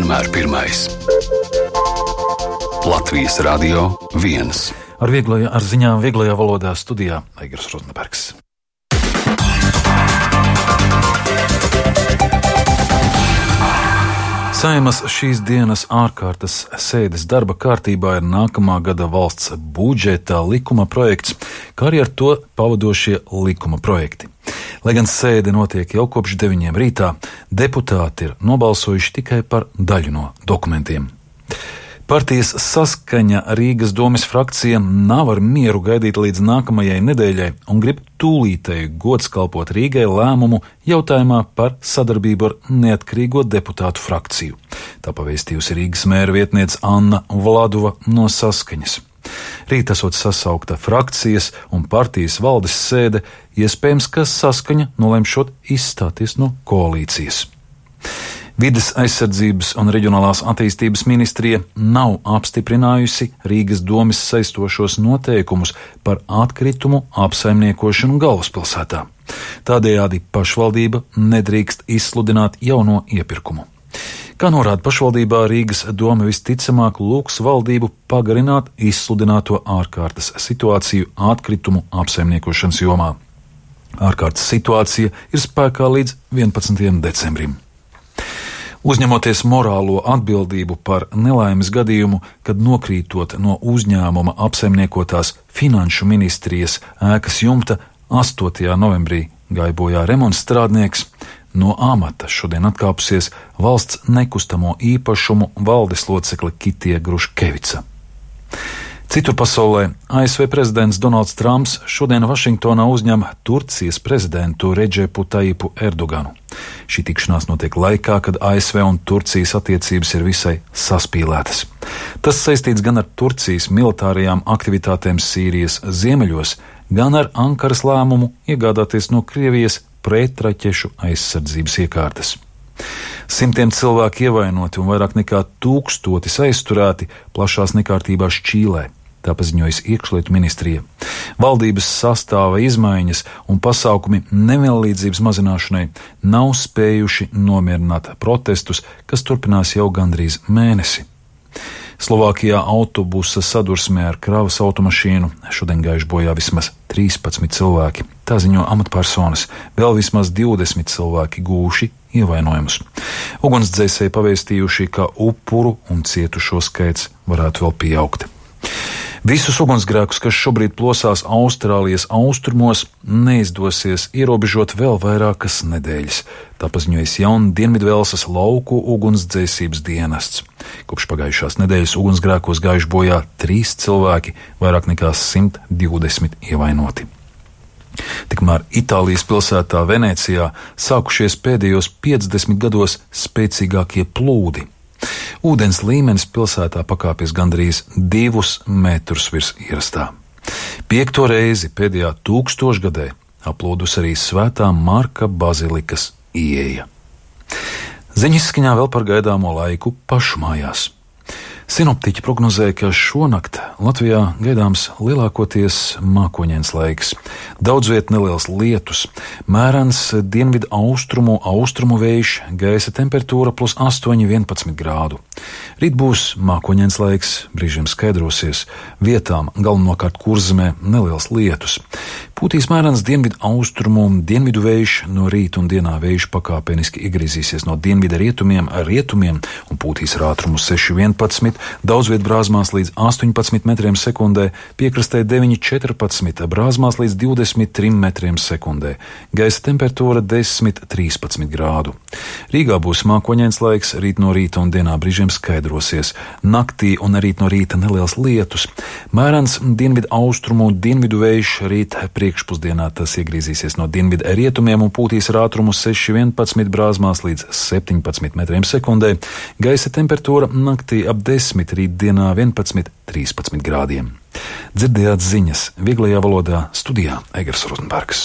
vienmēr pirmais. Latvijas Radio 1. Ar ziņām vieglajā valodā studijā Aigars Rozenbergs. Saeimas šīs dienas ārkārtas sēdes darba kārtībā ir nākamā gada valsts budžeta likuma projekts, kā arī ar to pavadošie likuma projekti. Lai gan sēde notiek jau kopš 9 rītā, deputāti ir nobalsojuši tikai par daļu no dokumentiem. Partijas Saskaņa Rīgas domes frakcija nav ar mieru gaidīt līdz nākamajai nedēļai un grib tūlītēji godskalpot Rīgai lēmumu jautājumā par sadarbību ar neatkarīgo deputātu frakciju. Tā pavēstījusi Rīgas mēra vietniece Anna Vladova no Saskaņas. Rīt esot sasaukta frakcijas un partijas valdes sēde, iespējams, ka Saskaņa nolemšot izstāties no koalīcijas. Vides aizsardzības un reģionālās attīstības ministrija nav apstiprinājusi Rīgas domes saistošos noteikumus par atkritumu apsaimniekošanu galvaspilsētā. Tādējādi pašvaldība nedrīkst izsludināt jauno iepirkumu. Kā norāda pašvaldībā, Rīgas doma visticamāk lūgs valdību pagarināt izsludināto ārkārtas situāciju atkritumu apsaimniekošanas jomā. Ārkārtas situācija ir spēkā līdz 11. decembrim. Uzņemoties morālo atbildību par nelaimes gadījumu, kad nokrītot no uzņēmuma apsaimniekotās Finanšu ministrijas ēkas jumta 8. novembrī gāja bojā remonta strādnieks, no amata šodien atkāpusies valsts nekustamo īpašumu valdes locekle Kitija Gruškevica. Citur pasaulē ASV prezidents Donalds Trumps šodien Vašingtonā uzņem Turcijas prezidentu Redžepu Tajipu Erdoganu. Šī tikšanās notiek laikā, kad ASV un Turcijas attiecības ir visai saspīlētas. Tas saistīts gan ar Turcijas militārajām aktivitātēm Sīrijas ziemeļos, gan ar Ankaras lēmumu iegādāties no Krievijas pretraķešu aizsardzības iekārtas. Simtiem cilvēku ievainoti un vairāk nekā 1000 aizturēti plašās nekārtībās Čīlē. Tā paziņojas iekšlietu ministrija. Valdības sastāva izmaiņas un pasākumi nevienlīdzības mazināšanai nav spējuši nomierināt protestus, kas turpinās jau gandrīz mēnesi. Slovākijā autobusa sadursmē ar kravas automašīnu šodien gājuši bojā vismaz 13 cilvēki. Tā ziņo amatpersonas, vēl vismaz 20 cilvēki gūši ievainojumus. Ugunsdzēsēji pavēstījuši, ka upuru un cietušo skaits varētu vēl pieaugt. Visus ugunsgrēkus, kas šobrīd plosās Austrālijas austrumos, neizdosies ierobežot vēl vairākas nedēļas. Tā paziņojas Dienvidvelsas lauku ugunsdzēsības dienests. Kopš pagājušās nedēļas ugunsgrēkos gājuši bojā 3 cilvēki, vairāk nekā 120 ievainoti. Tikmēr Itālijas pilsētā Venecijā sākušies pēdējos 50 gados spēcīgākie plūdi. Ūdens līmenis pilsētā pakāpies gandrīz 2 metrus virs ierastā. 5. reizi pēdējā 1000 gadē aplūdus arī Svētā Marka bazilikas ieeja. Ziņas izskaņā vēl par gaidāmo laiku pašmājās. Sinoptiķi prognozēja, ka šonakt Latvijā gaidāms lielākoties mākoņains laiks. Daudz viet neliels lietus, mērens dienvidu austrumu vējš, gaisa temperatūra +8, 11 grādu. Rīt būs mākoņains laiks, brīžiem skaidrosies, vietām galvenokārt Kurzemē neliels lietus. Pūtīs mērens dienvidu vējš, no rīta un dienā vējš pakāpeniski iegriezīsies no dienvidu rietumiem un pūtīs ar ātrumu 6–11, daudz viet brāzmās līdz 18 metriem sekundē, piekrastē 9–14, brāzmās līdz 23 metriem sekundē, gaisa temperatūra 10–13 grādu. Rīgā būs mākoņains laiks, rīt no rīta un dienā brīžiem skaidrosies, naktī un rīt no rīta neliels lietus, mērens dienvidu vējš, rīt priekšpusdienā tas iegriezīsies no dienvidu rietumiem un pūtīs ar ātrumu 6–11, brāzmās līdz 17 metriem sekundē, gaisa temperatūra naktī ap 10, rītdienā 11–13 grādiem. Dzirdējāt ziņas vieglajā valodā studijā Aigars Rozenbergs.